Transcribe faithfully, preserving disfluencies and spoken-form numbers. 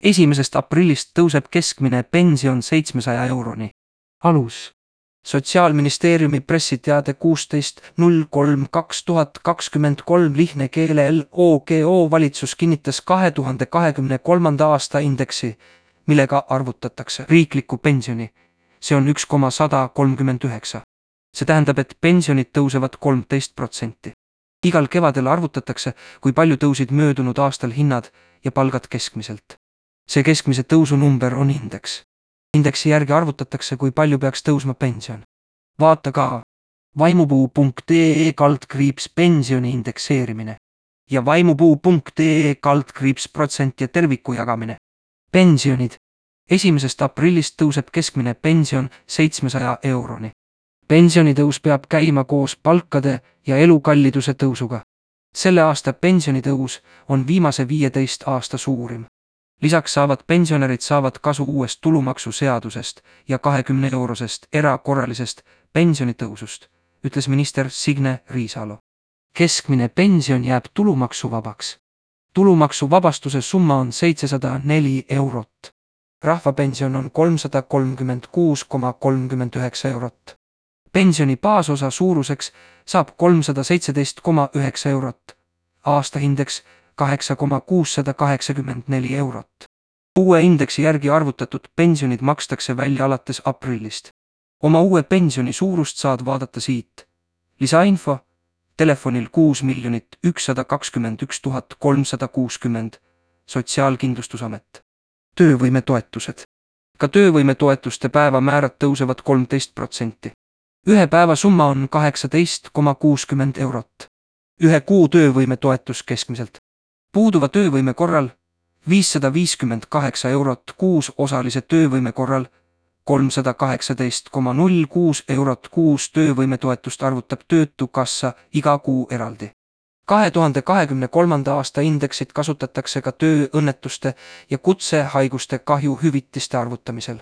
esimesest aprillist tõuseb keskmine pension seitsmesaja euroni. Alus. Sotsiaalministeeriumi pressiteade kuusteist null kolm kaks tuhat kakskümmend kolm lihtne keele L O G O valitsus kinnitas kahe tuhande kahekümne kolmanda aasta indeksi, millega arvutatakse riiklikku pensioni. See on üks koma sada kolmkümmend üheksa. See tähendab, et pensionid tõusevad kolmteist protsenti. Igal kevadel arvutatakse, kui palju tõusid möödunud aastal hinnad ja palgad keskmiselt. See keskmise tõusu number on indeks. Indeksi järgi arvutatakse, kui palju peaks tõusma pension. Vaata ka vaimupuu punkt ee kaldkriips pensioni indekseerimine ja vaimupuu punkt ee kaldkriips protsent ja terviku jagamine. Pensionid. Esimesest aprillist tõuseb keskmine pension seitsmesaja euroni. Pensionitõus peab käima koos palkade ja elukalliduse tõusuga. Selle aasta pensionitõus on viimase viieteist aasta suurim. Lisaks saavad pensionärid saavad kasu uuest tulumaksuseadusest ja kahekümne eurosest erakorralisest pensionitõusust, ütles minister Signe Riisalo. Keskmine pension jääb tulumaksuvabaks. Tulumaksuvabastuse summa on seitsesada neli eurot. Rahvapension on kolmsada kolmkümmend kuus koma kolmkümmend üheksa eurot. Pensioni baasosa suuruseks saab kolmsada seitseteist koma üheksa eurot. Aastahindeks kaheksa koma kuussada kaheksakümmend neli eurot. Uue indeksi järgi arvutatud pensionid makstakse välja alates aprillist. Oma uue pensioni suurust saad vaadata siit. Lisainfo telefonil kuus miljonit ükssada kakskümmend üks tuhat kolmsada kuuskümmend, Sotsiaalkindlustusamet. Töövõimetoetused. Ka töövõimetoetuste päevamäärad tõusevad kolmteist protsenti. Ühe päeva summa on kaheksateist koma kuuskümmend eurot. Ühe kuu töövõimetoetus keskmiselt. Puuduva töövõime korral viissada viiskümmend kaheksa eurot kuus, osalise töövõime korral kolmsada kaheksateist koma null kuus eurot kuus. Töövõimetoetust arvutab Töötukassa iga kuu eraldi. kahe tuhande kahekümne kolmanda aasta indeksit kasutatakse ka tööõnnetuste ja kutsehaiguste kahju hüvitiste arvutamisel.